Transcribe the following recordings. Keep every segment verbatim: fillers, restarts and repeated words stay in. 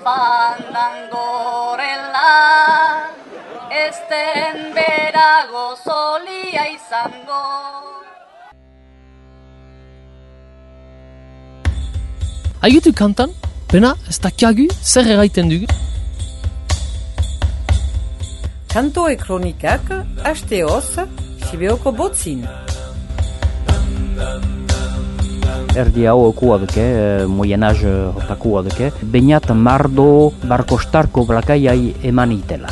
Fandangorela, esten berago solia izango. Haigitu kantan, pena, ez dakiagu, zer erraiten dugu? Kantoe kronikak, hasteoz, Sibeoko botzin. Erdi hau okua duke, moyenaz hortakua duke, bainat mardo barkostarko blakaiai eman itela.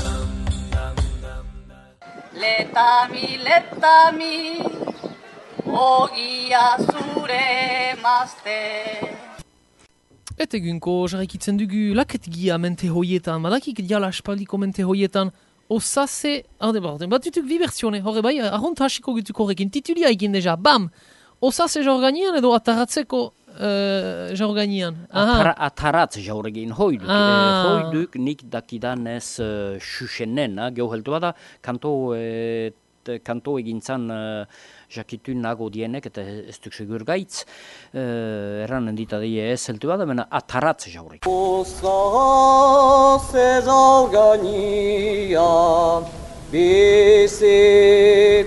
Letami, letami, ogia zure mazte. Eta egunko jarraikitzen dugu laketgia mente hoietan, badakik diala aspaldiko mente hoietan, osase, arde barden, bat dutuk bi versione, horre bai, arront hasiko gutuko horrekin, titulia egin deja, bam! Osase jaurganian edo ataratzeko uh, jaurganian? Atara, ataratz jaurgin hoiduk. Ah. Hoiduk nik dakidanez uh, susenen, geoheltu bada, kanto, et, kanto egintzan uh, jakitun nago dienek, eta ez duk segur gaitz, uh, erranen ditadie ez heltu bada, mena ataratz jaurgin. Osase jaurganian, bizi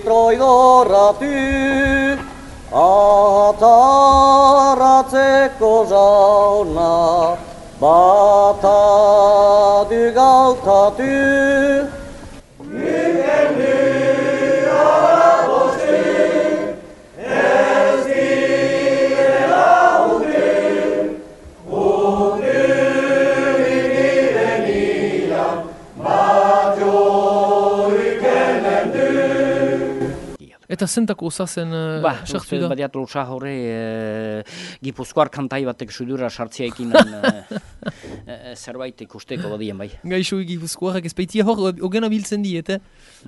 troidorratu, ataratzeko jauna, bata du gautatu. Niken du arabostu, ez direla hundu, hundu ibirenian, batio ikenen du. Eta zentako osazen uh, Ba, sartu da? badiatu osa horre e, Gipuzkoar kantai batek sudura sartziaikin e, e, zerbait ikusteko badien bai. Gaixo Gipuzkoarrak ez baitia hor, ogena biltzen diet, eh?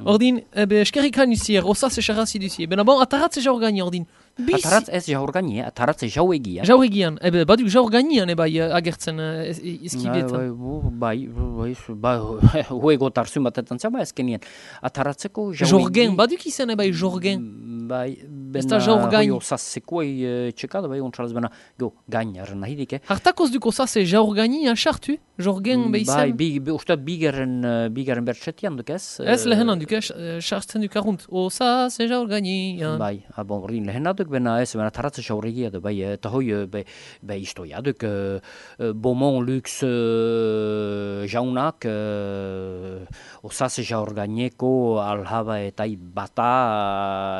Ordin, ebe, eskerrikan usier, osase charrazi dusier. Bena bon, ataratze jaurgani, ordin. Bizi- Ataratz ez jaurgani, ataratz jauegia. Jauregian, ebe, baduk jaurganian ebai uh, agertzen uh, izkibietan. Bai, bai, bai, huego tarzun batetan zama ezkenien. Ataratzeko jauegia. Jorgen, baduk izan ebai jorgen. Bai, Ez da bena jaurgain. hoi osazekuei txekada, bai, ontsalaz bena, go, gainaren nahidik, eh? Hartakoz duk osase jaurganian sartu, jorgen Bai, behizen. bi, bi, uste bigaren, uh, bigaren bertxetian duk ez? Ez lehenan duk, eh, sartzen duk arrunt. Osase jaurganian. Bai, abon, ordin lehena duk, bena ez, bena taratze jauregia du, bai, eta hoi, eh, be, be istoia duk, uh, uh, Beaumont Lux uh, jaunak, uh, osase jaurgaineko alhaba eta bata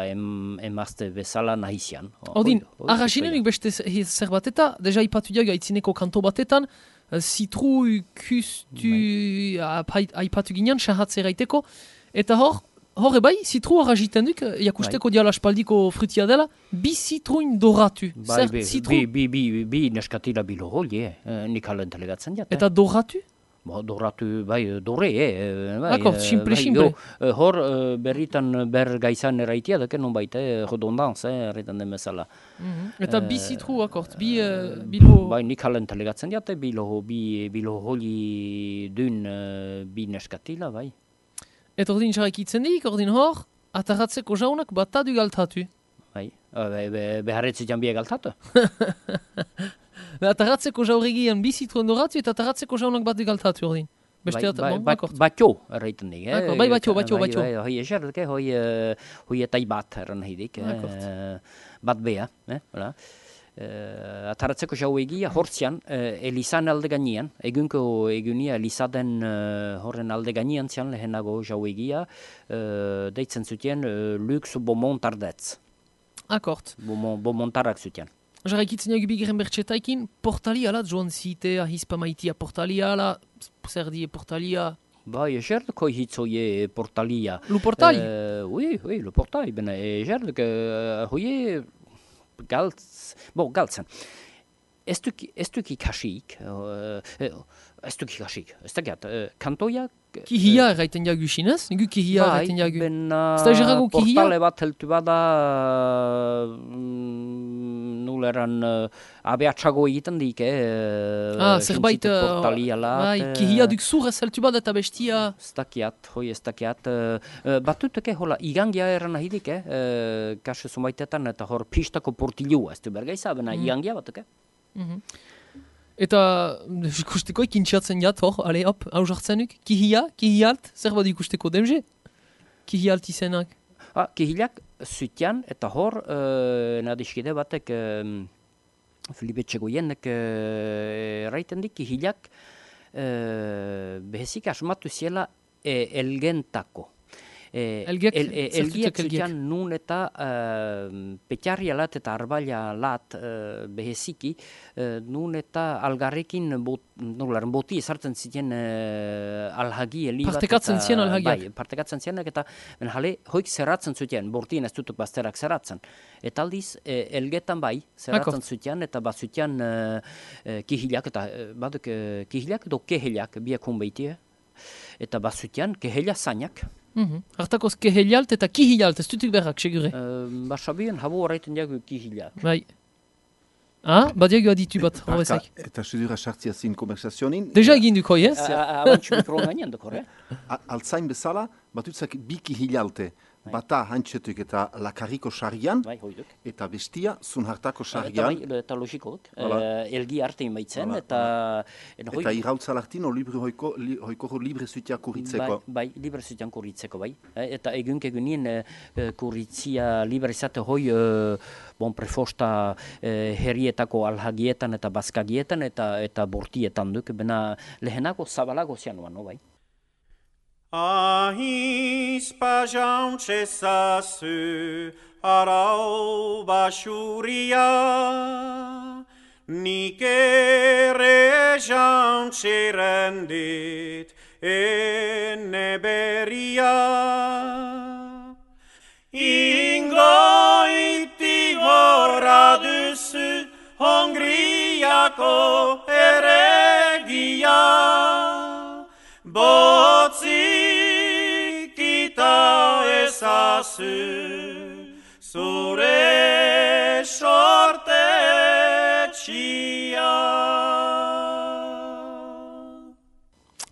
uh, em, emazte bezala nahizian. Ordin, Hoi- hoi arrasinenik beste ze- zer bat eta, deja ipatu diag aitzineko kanto batetan, uh, zitru kustu apai- aipatu ginean, sahatze eraiteko, eta hor, hor ebai, zitru arrasiten duk, jakusteko diala aspaldiko frutia dela, bi zitruin doratu. Bai, Zer bi, zitru, bi, bi, bi, bi neskatila bilo holi, eh? eh, nik halen telegatzen jat, eh? eta doratu? Bo, doratu, bai, dorre, eh? Bai, Akor, eh, simple, bai, simple. jo, eh, hor, eh, berritan ber gaizan erraitia, dake non baita, eh, redondanz, eh, erritan den bezala. Eta bi zitru akort, bi uh, bilo... Bai, nik halen telegatzen jat, eh, bilo, bi, bilo holi dun eh, bi neskatila, bai. Eta ordin jarraikitzen dik, ordin hor, ataratzeko jaunak batadu galtatu. Bai, eh, be, be, beharretzitan biek altatu. Ataratzeko jauregian bi zitruen doratu eta ataratzeko jaunak batu galtatu ordin. Beste Bai, ata, bai, bon, bat- akort. batio erraiten dik, eh? Akor, bai, batio, batio, Bai, batio. Bai, hoi eserke, hoi, eh, hoi etai bat erran hidik, Akort. eh? Bat bea, eh? Voilà. Uh, ataratzeko jauegia hortzian, uh, Elizan alde gainean, egunko egunia Elizaden uh, horren alde gainean zian lehenago jauegia, uh, deitzen zuten uh, Lux Beaumont Tardetz, Akort. Beaumont, Beaumontarak zuten. Jarraikitzen jagi bigeren bertxetaikin, portalia joan zite, ahispa maitia portalia ala, zer die portalia... Bai, ejerdeko hitzoie portalia. Lu portali? Uh, oui, oui, le portali, bena ejerdeko uh, hoie galtz, bo, galtzen. Ez duk, ez duk ikasik, uh, ez duk ikasik, ez dakiat, uh, kantoiak... Kihia erraiten jagu xinez, nigu kihia erraiten jagu. Bai, bena Ez da jerago kihia? portale bat heltu bada mm, nuleran uh, abeatxago egiten dik, eh? Ah, zerbait... Jintzitu uh, portalia lat, Bai, eh, kihia duk zur ez heltu bat eta bestia... Ez dakiat, hoi ez dakiat. Uh, uh, batuteke hola, igangia eran ahidik, eh? Uh, kaso zumaitetan eta hor pistako portilua, ez du bergaiza, bena igangia batuke. Mhm. Eta ikusteko ikintxatzen jat, hor, ale, hop, hau jartzenuk, kihia, kihialt, zer bat ikusteko demge? Kihialt izenak. Ah, kihilak zutian, eta hor, uh, nadiskide batek, uh, Filipe Txegoienek uh, raiten dik, kihilak uh, behezik asmatu ziela e, elgentako. E, Elgiak, el, e, zertutek elgiak elgiak? zutian nun eta uh, petxarria lat eta arbaila lat uh, beheziki, uh, nun eta algarrekin bot, nolaren boti esartzen ziten uh, alhagi eli bat. Partekatzen eta- zien alhagiak. Bai, partekatzen zienak eta ben jale hoik zerratzen zuten, bortien ez dutuk bazterak zerratzen. Eta aldiz, e, elgetan bai, zerratzen Akort. zuten, eta bat zuten uh, uh, kihilak, eta uh, baduk uh, kihilak edo keheliak, biak hunbeitie, eta bat zuten kehela zainak. Mhm. Hartakoz kehelialt eta kihilialt, ez dutuk berrak, segure. Uh, Basabien, habu horreiten jagu kihilak. Bai. Ah, badiago aditu bat, Barka, horrezak. eta sudura sartzia zin konversazionin. Deja egin duk hoi, ez? Abantxu mikro gainean dukor, eh? A- Altzain bezala, batutzak biki hilalte. Bata hantxetuk eta lakarriko sarrian, Bai, hoiduk. eta bestia zun hartako Eta sarrian. bai, eta logiko duk. Hala. Uh, elgi artein baitzen, Hala, eta... eta hoi- Eta irrautzalartin, o libre hoiko, li, hoiko libre zutia kurritzeko. Bai, bai, libre zuten kurritzeko, bai. Eh, eta egunk egunien eh, eh, kurritzia libre izate hoi eh, bon prefosta eh, herrietako alhagietan eta baskagietan eta eta bortietan duk, bena lehenako zabalago zianuan, no, bai. Ahiz pajaun txezazu arau basuria, nik ere jaun txerendit ene beria. Ingoiti horra duzu Hongriako eregia, botzik ita ezazu zure sortetxia.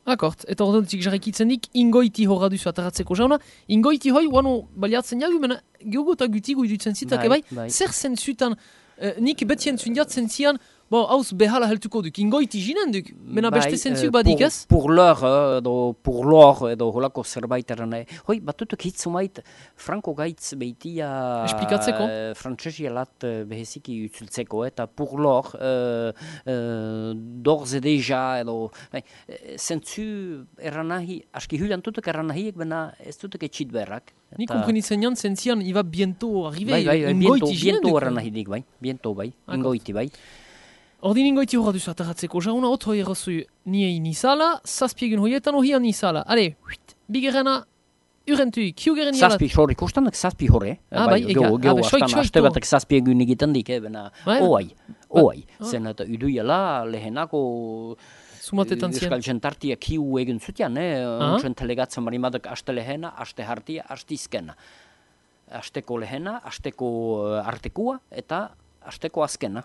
Akort, eta ordontik jarrikitzen dik, ingoiti horra duzu ataratzeko jauna. Ingoiti hoi, wano baliatzen jagu, mena geogo eta gutigo idutzen zitak, Bai, bai, bai. zer zentzutan, eh, nik betien zundiatzen zian, bo, hauz behala heltuko duk, ingoiti jinen duk, mena beste zentzuk eh, badik pour- ez? Pour l'or, eh, edo pour l'or, edo holako zerbait eran nahi. Hoi, batutuk hitzumait, franko gaitz behitia... Esplikatzeko? Uh, Frantsesia lat eh, beheziki utzultzeko, eta pour l'or, uh, uh, d'ores et déjà, edo... Bai, eh, zentzu eran nahi, aski hulian tutuk eran nahiek, bena ez tutuk etxit berrak. Nik Eta- komprenitzen jan zentzian, iba biento arrive, Bai, bai, bai, biento, ingoiti jinen biento duk. eran nahidik, bai, biento, bai, Akort. ingoiti, bai. Ordin ingoiti horra duzu ataratzeko jauna, ot hoi errazu niei nizala, zazpiegun hoietan hohian nizala. Ale, huit, bigerena, urentu, kiugeren jalat. Zazpi hor ikustanak zazpi hore. Ah, bai, ega. Geo, Ah, geo be, soik, astan, soik aste to. batek zazpi egun egiten dik, eh, bena, Bai. oai, oai. Ah. Zen eta iduiela lehenako Sumatetan zien. Euskal jentartia kiu egin zutian, eh, Ah. ontsen telegatzen marimadak aste lehena, aste hartia, aste izkena. Asteko lehena, asteko uh, artekua, eta asteko azkena.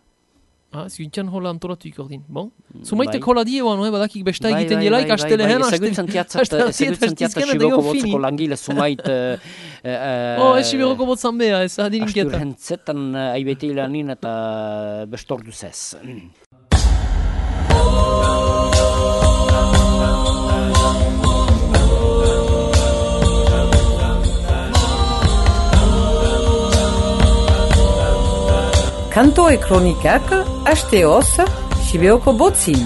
Ah, zintxan hola antolatuik ordin. Bon? Sumaitek bai. hola die oan, no, badakik besta egiten dielaik, aste lehen, aste Ezagutzen tiatzat, aste hartiet, ezagutzen aste tiatzat izkena, eta Siboko gero fini. botzeko langile sumait... eh, eh, Oh, ez siberoko botzan beha, ez adirinketa. Asturhentzetan uh, aibeti lanin eta bestorduz ez. Kanto e kronikak, asteoz, Sibeoko botzin.